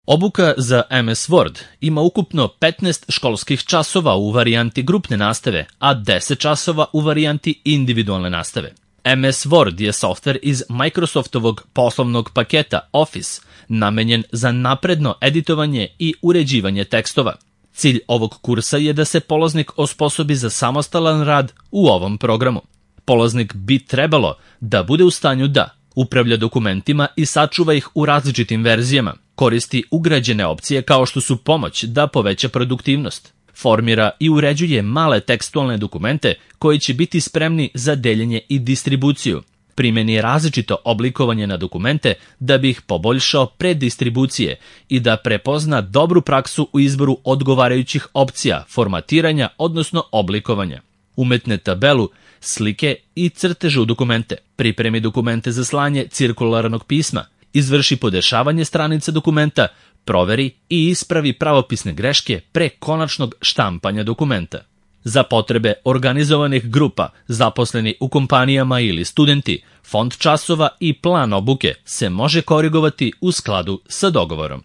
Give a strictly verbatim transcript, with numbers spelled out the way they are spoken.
Obuka za em es Word ima ukupno petnaest školskih časova u varijanti grupne nastave, a deset časova u varijanti individualne nastave. em es Word je softver iz Microsoftovog poslovnog paketa Office, namenjen za napredno editovanje i uređivanje tekstova. Cilj ovog kursa je da se polaznik osposobi za samostalan rad u ovom programu. Polaznik bi trebalo da bude u stanju da upravlja dokumentima i sačuva ih u različitim verzijama, koristi ugrađene opcije kao što su pomoć da poveća produktivnost, formira i uređuje male tekstualne dokumente koji će biti spremni za deljenje i distribuciju, primeni različito oblikovanje na dokumente da bi ih poboljšao pre distribucije i da prepozna dobru praksu u izboru odgovarajućih opcija, formatiranja, odnosno oblikovanja. Umetne tabelu, slike i crteže u dokumente, pripremi dokumente za slanje cirkularnog pisma, izvrši podešavanje stranica dokumenta, proveri i ispravi pravopisne greške pre konačnog štampanja dokumenta. Za potrebe organizovanih grupa, zaposleni u kompanijama ili studenti, fond časova i plan obuke se može korigovati u skladu sa dogovorom.